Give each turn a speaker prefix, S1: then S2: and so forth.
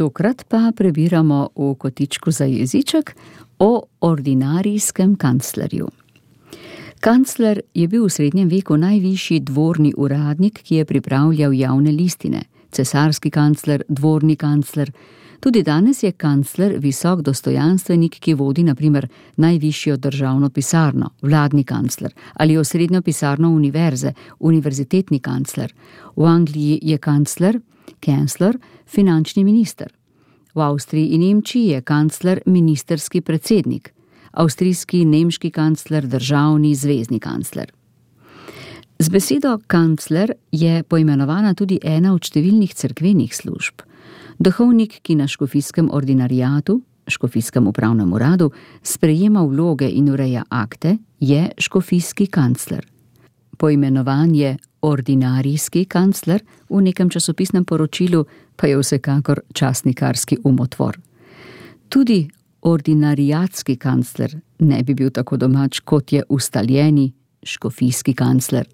S1: Tokrat pa prebiramo v kotičku za jeziček o ordinarijskem kanclerju. Kancler je bil v srednjem veku najvišji dvorni uradnik, ki je pripravljal javne listine. Cesarski kancler, dvorni kancler. Tudi danes je kancler visok dostojanstvenik, ki vodi na primer najvišjo državno pisarno, vladni kancler, ali osrednjo pisarno univerze, univerzitetni kancler. V Angliji je kancler, finančni minister. V Avstriji in Nemčiji je kancler ministerski predsednik, avstrijski, nemški kancler, državni, zvezni kancler. Z besedo kancler je poimenovana tudi ena od številnih cerkvenih služb. Duhovnik, ki na škofijskem ordinarijatu, škofijskem upravnem uradu, sprejema vloge in ureja akte, je škofijski kancler. Poimenovanje ordinarijski kancler v nekem časopisnem poročilu pa je vsekakor časnikarski umotvor. Tudi ordinarijatski kancler ne bi bil tako domač, kot je ustaljeni škofijski kancler.